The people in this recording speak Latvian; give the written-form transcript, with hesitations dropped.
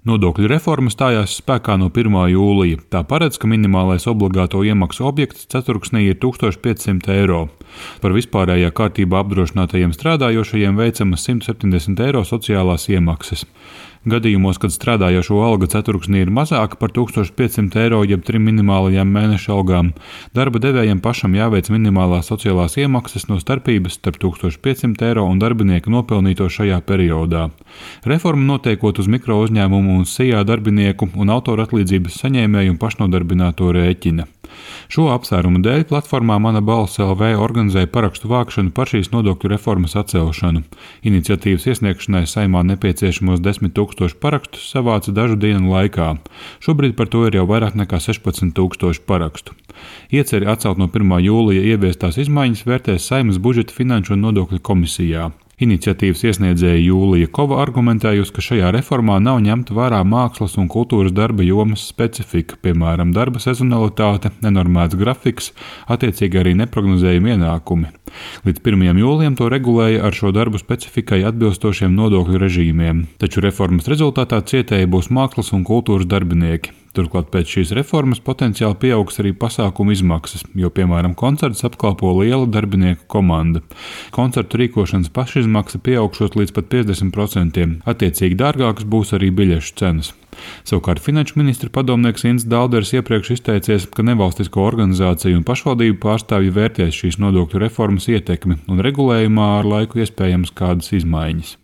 Nodokļu reforma stājās spēkā no 1. jūlija. Tā paredz, ka minimālais obligāto iemaksu objekts ceturksnī ir 1500 eiro. Par vispārējā kārtībā apdrošinātajiem strādājošajiem veicamas 170 eiro sociālās iemaksas. Gadījumos, kad strādājošo alga ceturksnī ir mazāka par 1500 eiro jeb 3 minimālajām mēneša algām, darba devējiem pašam jāveic minimālās sociālās iemaksas no starpības starp 1500 eiro un darbinieka nopelnīto šajā periodā. Reforma notiekot uz mikro uzņēmumu un SIA darbinieku un autora atlīdzības saņēmēju un pašnodarbināto rēķina. Šo apsvērumu dēļ platformā Mana balss LV organizēja parakstu vākšanu par šīs nodokļu reformas atcelšanu. Iniciatīvas iesniegšanai Saeimā nepieciešamos 10 000 parakstus savāca dažu dienu laikā. Šobrīd par to ir jau vairāk nekā 16 000 parakstu. Ieceri atcelt no 1. jūlija ieviestās izmaiņas vērtēs Saeimas budžeta finanšu un nodokļu komisijā. Iniciatīvas iesniedzēja Jūlija Kova argumentējusi, ka šajā reformā nav ņemta vērā mākslas un kultūras darba jomas specifika, piemēram, darba sezonalitāte, nenormēts grafiks, attiecīgi arī neprognozējami ienākumi. Līdz 1. jūlijam to regulēja ar šo darbu specifikai atbilstošiem nodokļu režīmiem, taču reformas rezultātā cietēji būs mākslas un kultūras darbinieki. Turklāt pēc šīs reformas potenciāli pieaugs arī pasākumu izmaksas, jo, piemēram, koncerts apkalpo liela darbinieku komanda. Koncertu rīkošanas pašizmaksa pieaugšot līdz pat 50%, attiecīgi dārgākas būs arī biļešu cenas. Savukārt finanšu ministra padomnieks Inns Dalders iepriekš izteicies, ka nevalstisko organizāciju un pašvaldību pārstāvji vērtēs šīs nodokļu reformas ietekmi un regulējumā ar laiku iespējams kādas izmaiņas.